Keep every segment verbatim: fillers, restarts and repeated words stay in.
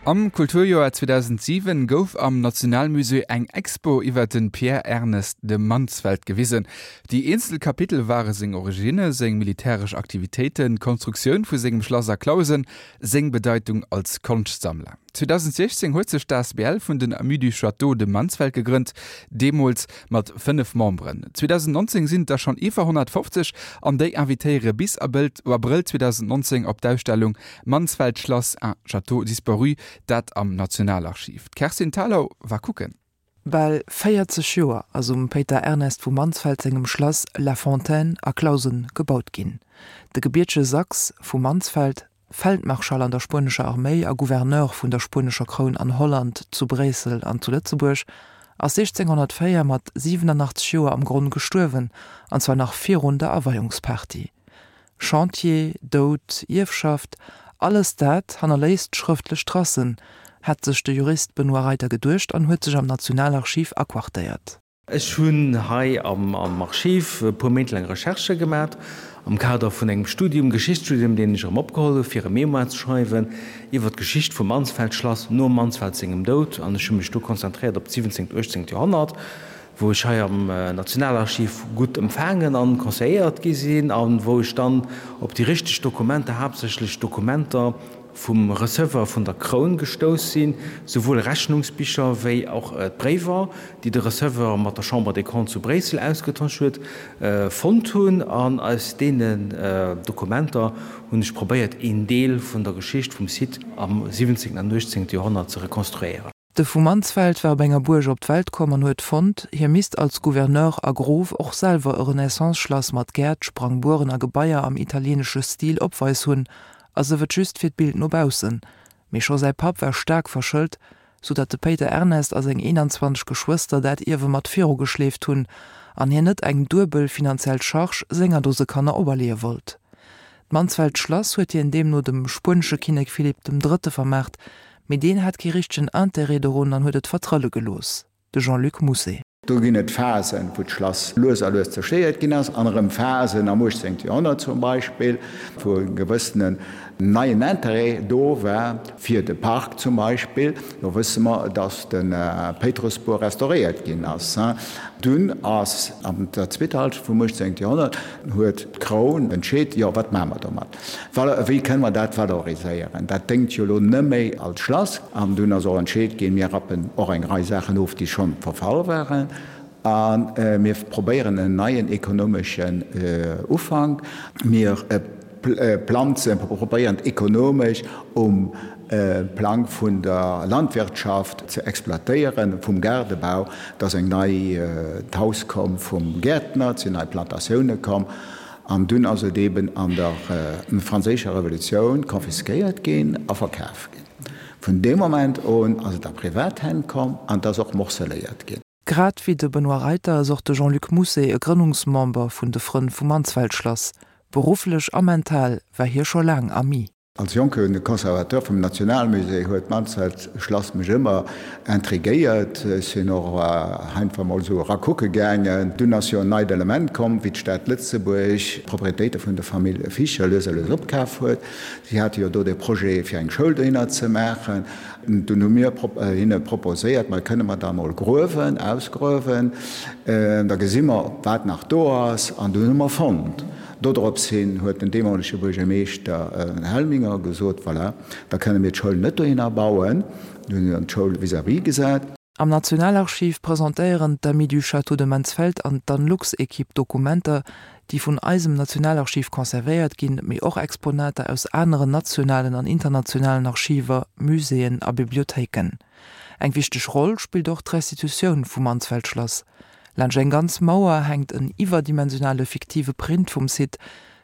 Am Kulturjoer zweedausentsiwen gouf am Nationalmusée eng Expo iwwer den Pierre Ernest de Mansfeld gewisen. Déi eenzel Kapitel ware seng Originne, seng militäresch Aktivitéiten, d'Konstruktioun vu sengem Schlass a Clausen, seng Bedeitung als Konschtsammler. zweedausendsechzéng huet sech d'A S B L vun den Amis du Château de Mansfeld gegrënnt, deemools mat fënnef Memberen. zweedausennnonzéng sinn et der schonn iwwer honnertfofzeg an déi invitéiere bis Abrëll zweedausennnonzéng op d'Ausstellung Mansfeld Schlass, un château disparu, dat am Nationalarchiv. D'Kerstin Thalau war kucken. Bal véierzeg Joer ass um Péiter Ernest vu Mansfeld sengem Schlass La Fontaine a Clausen gebaut ginn. De gebiertege Sachs vu Mansfeld, Feldmarschall an der spuenescher Arméi a Gouverneur vun der spuenescher Kroun an Holland, zu Bréissel an zu Lëtzebuerg, ass siechzénghonnertvéier mat siwenanachtzeg Joer am Gronn gestuerwen, an zwar nach virun der Aweiungsparty. Chantier, Doud, Ierfschaft, alles dat hannerléisst schrëftlech Tracen, hat sech de Jurist Benoît Reiter geduecht an huet sech am Nationalarchiv aquartéiert. Ech hunn hei am Archiv e puer Méint laang Recherchë gemat am Kader vun engem Studium, Geschichtsstudium, deen ech erëm opgeholl hu fir e Mémoire ze schreiwen iwwer d'Geschicht vum Mansfeld-Schlass nom Mansfeld sengem Doud. An ech hu mech do konzentréiert op d'siwwenzéngt, uechtzéngt Joerhonnert, wou ech hei am Nationalarchiv gutt empfaangen an conseilléiert gi sinn a wou ech dann op déi richteg Dokumenter, haaptsächlech Dokumenter vum Receveur vun der Kroun gestouss sinn, souwuel Rechnungsbicher wéi och d'Bréiwer, déi de Receveur mat der Chambre des Comptes zu Bréissel ausgetosch huet, fonnt hunn. An aus deenen Dokumenter hunn ech probéiert, een Deel vun der Geschicht vum Site am siwwenzéngten an uechtzéngte Joerhonnert ze rekonstruéieren. De vu Mansfeld war op enger Buerg op d'Welt komm an huet fonnt, hie misst als Gouverneur a Grof och selwer e Renaissance-Schlass mat Gäert, Sprangbueren a Gebaier am italieenesche Stil opweis hunn, a sief et just fir d'Bild no baussen. Mee scho säi Papp war staark verschëlt, sou datt de Péiter Ernest a seng eenanzwanzeg Geschwëster dat Ierwe mat virugeschleeft hunn an hien net eng duebel finanziell Charge senger Dose Kanner operleeë wollt. D'Mansfeld Schlass huet hien deemno dem spuenesche Kinnek Philipp dem Drëtte vermaart, mee deen hat kee richtegen Interêt dorun an huet et vertrëlle gelooss. De Jean-Luc Mousset. Do ginn et Phasen, wou d'Schlass lues a lues zerstéiert ginn ass, an erëm Phasen am uechtzéngte Joerhonnert zum Beispill, wou e gewëssenen neien Interêt do war fir de Park zum Beispill. Do wësse mer, datt de Péitrussbuer restauréiert ginn ass. Dunn ass an der zweeter Hallschent vum uechtzéngte Joerhonnert huet d'Kroun entscheet, jo, wat maache mer domat, wéi kënne mer dat valoriséieren, dat déngt jo elo net méi als Schlass. An dunn ass och entscheet ginn, mir rappen och eng Rei Saachen of, déi schonn verfall waren, a mir probéieren en neien ekonomeschen Ufank. Mir planzen, probéieren ekonomesch um Plang vun der Landwirtschaft ze exploitéieren, vum Gaardebau. Et ass eng nei d'Haus komm vum Gäertner, et sinn nei Plantatioune komm. An dunn ass et eben an der Franséischer Revolutioun confisquéiert ginn a verkaf ginn. Vun deem Moment un ass et a privat Hänn komm an et ass och morceléiert ginn. Grad wéi de Benoît Reiter ass och de Jean-Luc Mousset e Grënnungsmember vun de Frënn vum Mansfeldschlass. Berufflech a mental war hie scho laang Ami. Als jonke Conservateur vum Nationalmusée huet d'Mansfeld-Schlass mech ëmmer intriguéiert. Ech sinn och einfach mol esou era kucke gaangen. Dunn ass jo en neit Element komm, wéi d'Stad Lëtzebuerg d'Proprietéite vun der Famill Fischer lues a lues opkaf huet. Si hate jo do dee Projet, fir eng Schoul dohinner ze maachen. Dunn hu mir hinne proposéiert, Ma kënne mer da mol gruewen, ausgruewen, da gesi mer, wat nach do ass. An dunn hu mer fonnt. Dodrops hin huet den deemolege Buergermeeschter Helminger gesot, Voilà, da kënne mir d'Schoul net dohinner bauen. Dunn hunn se dann d'Schoul vis-à-vis gesat. Am Nationalarchiv presentéieren d'Amis du Château de Mansfeld an d'Anlux-Ekipp Dokumenter, déi vun eisem Nationalarchiv conservéiert ginn, mee och Exponater aus aneren nationalen an internationalen Archiver, Muséeën a Bibliothéiken. Eng wichteg Roll spillt och d'Restitutioun vum Mansfeld-Schlass. Laanscht eng ganz Mauer hänkt en iwwerdimensionale fiktive Print vum Site.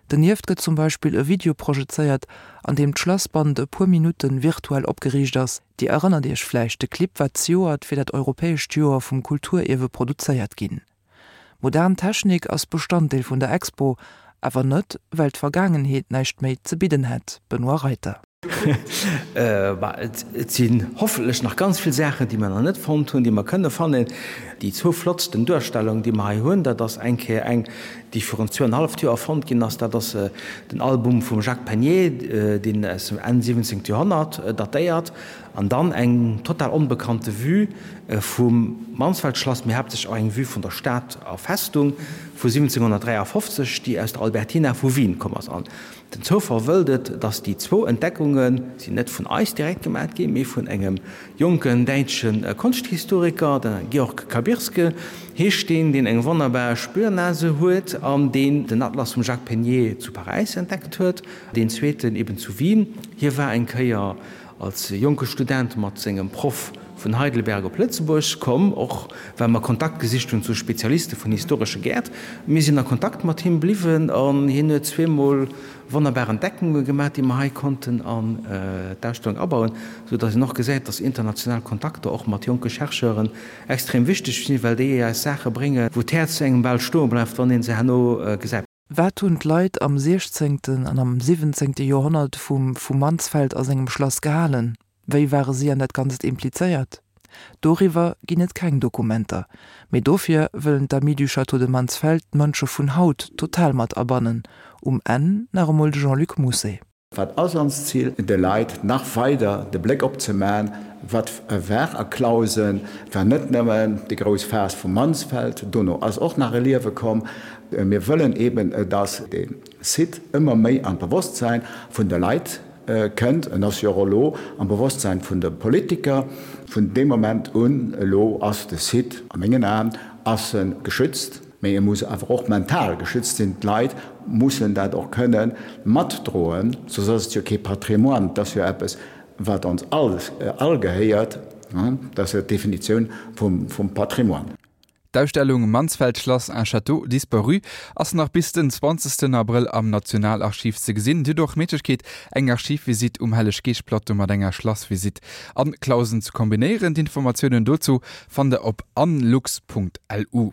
Donieft gëtt zum Beispill e Video projezéiert, an deem d'Schlassband e puer Minutte virtuell opgeriicht ass. Dir erënnert Iech vläicht, de Clip war zejoert fir dat europäescht Joer vum Kulturierwe produzéiert ginn. Modern Technik ass Bestanddeel vun der Expo, awer net, well d'Vergaangenheet näischt méi ze bidden hätt, Benoît Reiter. Et sinn hoffentlech nach ganz vill Saachen, déi mer nach net fonnt hunn, déi mer kënne fannen. Déi zwou flottsten Duerstellungen, déi mer hei hunn, dat ass eng Kéier eng, déi virun zwouenhalleft Joer fonnt ginn ass. Dat ass den Album vum Jacques Panier, deen aus dem Enn siwwenzéngt Joerhonnert datéiert. An dann eng total onbekannte Vue vum Mansfeldschlass, mee haaptsächlech och eng Vue vun der Stad a Festung vu siwwenzénghunnertdräiafofzeg, déi aus der Albertina vu Wien komm ass. An den Zoufall wëllt et, dass déi zwou Entdeckunge sinn net vun eis direkt gemat ginn, mee vun engem jonken däitsche Konschthistoriker, de Georg Kabirske heescht deen, deen eng wonnerbar Spürnase huet an deen den Atlas vum Jacques Pégnier zu Paräis entdeckt huet, deen zweeten eben zu Wien. Hie war eng Kéier als jonke Student mat sengem Proff vun Heidelberg op Lëtzebuerg komm, och well mer Kontakt gesicht hunn zu Spezialiste vun historesche Gäert. Mir sinn a Kontakt mat him bliwwen an hien huet zweemol wonnerbar Entdeckunge gemaach, déi mer hei konnten an d'Ausstellung abauen, sou datt een och gesäit, datt international Kontakter och mat jonke Chercheuren extrem wichteg sinn, well déi eis Saache bréngen, wou d'Häerz engem bal stoe bleift, wann ee se herno gesäit. Wat hunn d'Leit am siechzéngten an am siwwenzéngte Joerhonnert vum vu Mansfeld a sengem Schlass gehalen? Wéi ware si an dat Ganzt implizéiert? Doriwwer ginn et keng Dokumenter. Mee dofir wëllen d'Amis du Château de Mansfeld d'Mënsche vun haut total mat abannen. Um Enn nach emol de Jean-Luc Mousset. Wat ass onst Zil? De Leit nach weider de Bléck opzemaachen, wat war a Clausen, war net nëmmen déi grouss Phas vum Mansfeld, dono ass och nach e Liewe komm. Mir wëllen eben, dass de Site ëmmer méi an d'Bewosstsäin vun de Leit kënnt. En ass jo och elo am Bewosstsäin vun de Politiker. Vun deem Moment un elo ass de Site, a mengen Aen, ass e geschützt. Mee e muss awer och mental geschützt sinn. D'Leit mussen dat och kënne matdroen, soss ass et jo kee Patrimoine. Et ass jo eppes, wat ons all all gehéiert. Dat ass jo d'Definitioun vum vum Patrimoine. D'Ausstellung Mansfeld-Schlass, un château disparu ass nach bis den zwanzegsten Abrëll am Nationalarchiv ze gesinn. Dir hutt och d'Méiglechkeet, eng Archivvisitt um Helleg-Geescht-Plateau mat enger Schlassvisitt an Clausen ze kombinéieren. D'Informatiounen dozou fannt der op anlux.lu.